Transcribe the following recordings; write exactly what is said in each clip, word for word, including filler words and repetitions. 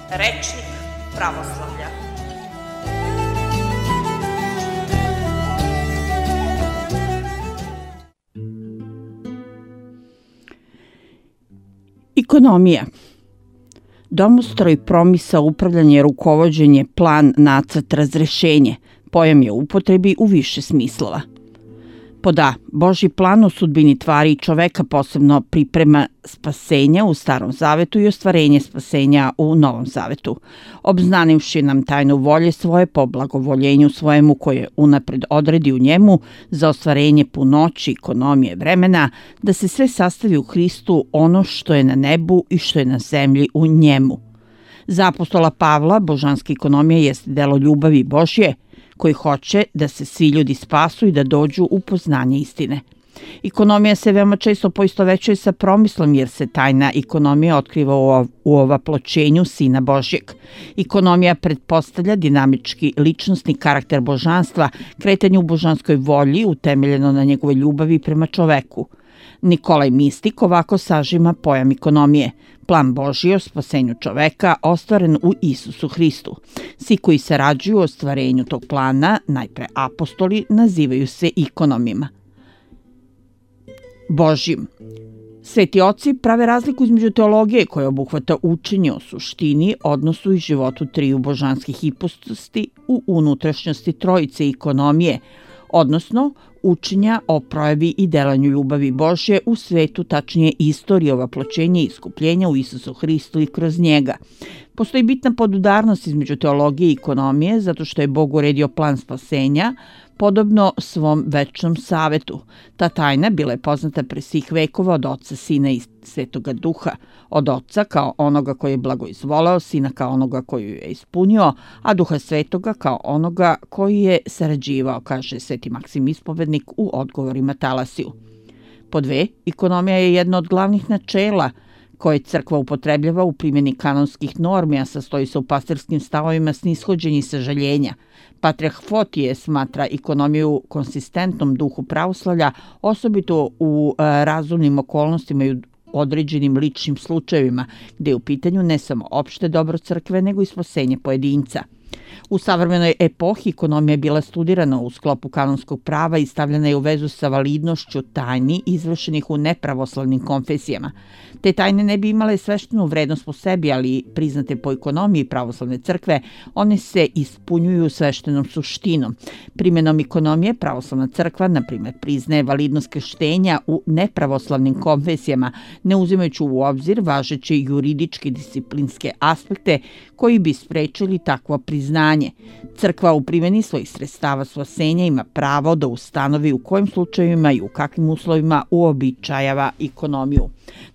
Rečnik pravoslavlja. Ekonomija. Domostroj, promisao, upravljanje, rukovođenje, plan, nacrt, razrešenje. Pojam je u upotrebi u više smislova. Pod A. Božji plan o sudbini tvari i čoveka, posebno priprema spasenja u Starom zavetu i ostvarenje spasenja u Novom zavetu, obznanivši nam tajnu volje svoje po blagovoljenju svojemu koje unapred odredi u njemu za ostvarenje punoći, ekonomije, vremena, da se sve sastavi u Hristu, ono što je na nebu i što je na zemlji u njemu. Za apostola Pavla, božanska ekonomija jeste delo ljubavi Božje, koji hoće da se svi ljudi spasu i da dođu u poznanje istine. Ekonomija se veoma često poistovećuje sa promislom, jer se tajna ekonomija otkriva u ovaploćenju Sina Božjeg. Ekonomija pretpostavlja dinamički ličnosni karakter božanstva, kretanje u božanskoj volji utemeljeno na njegove ljubavi prema čoveku. Nikolaj Mistik ovako sažima pojam ekonomije. Plan Božji o spasenju čoveka ostvaren u Isusu Hristu. Svi koji sarađuju u ostvarenju tog plana, najpre apostoli, nazivaju se ikonomima. Božjim. Sveti oci prave razliku između teologije koja obuhvata učenje o suštini, odnosu i životu triju božanskih hipostazi u unutrašnjosti trojice ekonomije, odnosno učenja o projavi i delanju ljubavi Božje u svetu, tačnije istorije ovaploćenja i iskupljenja u Isusu Hristu i kroz njega. Postoji bitna podudarnost između teologije i ekonomije, zato što je Bog uredio plan spasenja, podobno svom večnom savetu. Ta tajna bila je poznata pre svih vekova od Oca, Sina i Svetoga Duha. Od Oca kao onoga koji je blagoizvoleo, Sina kao onoga koji ju je ispunio, a Duha Svetoga kao onoga koji je sarađivao, kaže Sveti Maksim Ispovednik u odgovorima Talasiju. Po dve, ekonomija je jedno od glavnih načela koje crkva upotrebljava u primjeni kanonskih normi, a sastoji se u pastirskim stavovima snishođenja i sažaljenja. Patrijarh Fotije smatra ekonomiju konsistentnom duhu pravoslavlja, osobito u razumnim okolnostima i u određenim ličnim slučajevima, gde je u pitanju ne samo opšte dobro crkve, nego i spasenje pojedinca. U savremenoj epohi ekonomija je bila studirana u sklopu kanonskog prava i stavljena je u vezu sa validnošću tajni izvršenih u nepravoslavnim konfesijama. Te tajne ne bi imale sveštenu vrednost po sebi, ali priznate po ekonomiji pravoslavne crkve, one se ispunjuju sveštenom suštinom. Primjenom ekonomije pravoslavna crkva, na primjer, priznaje validnost krštenja u nepravoslavnim konfesijama, ne uzimajući u obzir važeće juridičke disciplinske aspekte koji bi sprečili takvo priznanje. Crkva u primjeni svojih sredstava spasenja ima pravo da ustanovi u kojim slučajevima i u kakvim uslovima uobičajava ekonomiju.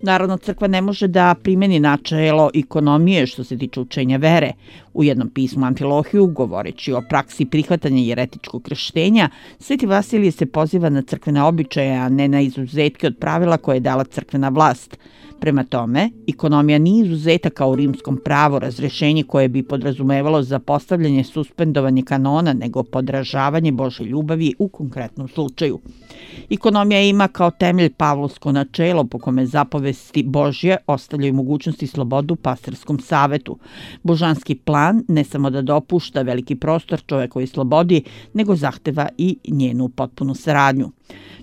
Narodna crkva ne može da primjeni načelo ekonomije što se tiče učenja vere. U jednom pismu Amfilohiju, govoreći o praksi prihvatanja jeretičkog krštenja, Sveti Vasilije se poziva na crkvene običaje, a ne na izuzetke od pravila koje je dala crkvena vlast. Prema tome, ekonomija nije izuzeta kao u rimskom pravu, razrešenje koje bi podrazumevalo zapostavljanje, suspendovanje kanona, nego podražavanje Božje ljubavi u konkretnom slučaju. Ekonomija ima kao temelj pavlovsko načelo po kome zapovesti Božje ostavljaju mogućnosti i slobodu pastirskom savetu. Božanski plan ne samo da dopušta veliki prostor čovekovoj slobodi, nego zahteva i njenu potpunu saradnju.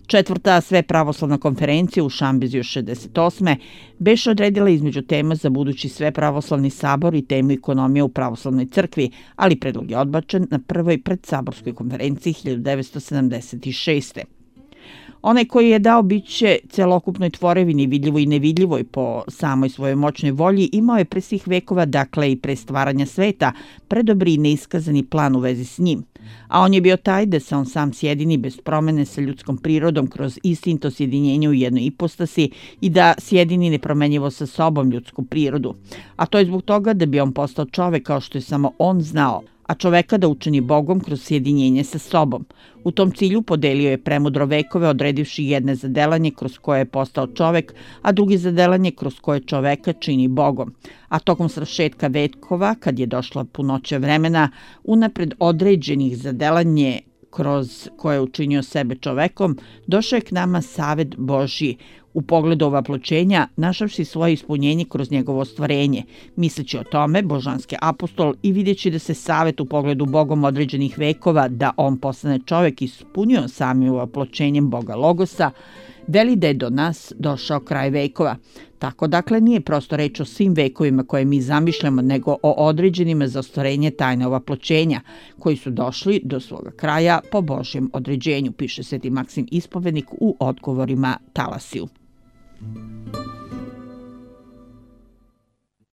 Četvrta sve pravoslavna konferencija u Šambeziju šezdeset osme beše odredila između tema za budući sve pravoslavni sabor i temu ekonomije u pravoslavnoj crkvi, ali predlog je odbačen na prvoj predsaborskoj konferenciji hiljadu devetsto sedamdeset šeste. Onaj koji je dao biće celokupnoj tvorevini, vidljivoj i nevidljivoj po samoj svojoj moćnoj volji, imao je pre svih vekova, dakle i pre stvaranja sveta, predobri i neiskazani plan u vezi s njim. A on je bio taj da se on sam sjedini bez promene sa ljudskom prirodom kroz istinito sjedinjenje u jednoj ipostasi i da sjedini nepromenjivo sa sobom ljudsku prirodu. A to je zbog toga da bi on postao čovek kao što je samo on znao, a čoveka da učini Bogom kroz sjedinjenje sa sobom. U tom cilju podelio je premudro vekove, odredivši jedne za delanje kroz koje je postao čovek, a drugi za delanje kroz koje čoveka čini Bogom. A tokom svršetka vekova, kad je došla punoća vremena, unapred određenih za delanje kroz koje je učinio sebe čovekom, došao je k nama savet Božji u pogledu ovaploćenja, našavši svoje ispunjenje kroz njegovo ostvarenje. Misleći o tome, božanski apostol i vidjeći da se savet u pogledu Bogom određenih vekova da on postane čovek ispunio samim ovaploćenjem Boga Logosa, veli da je do nas došao kraj vekova. Tako dakle nije prosto reč o svim vekovima koje mi zamišljamo, nego o određenima za ostvarenje tajne ovaploćenja, koji su došli do svoga kraja po Božjem određenju, piše Sveti Maksim Ispovednik u odgovorima Talasiju.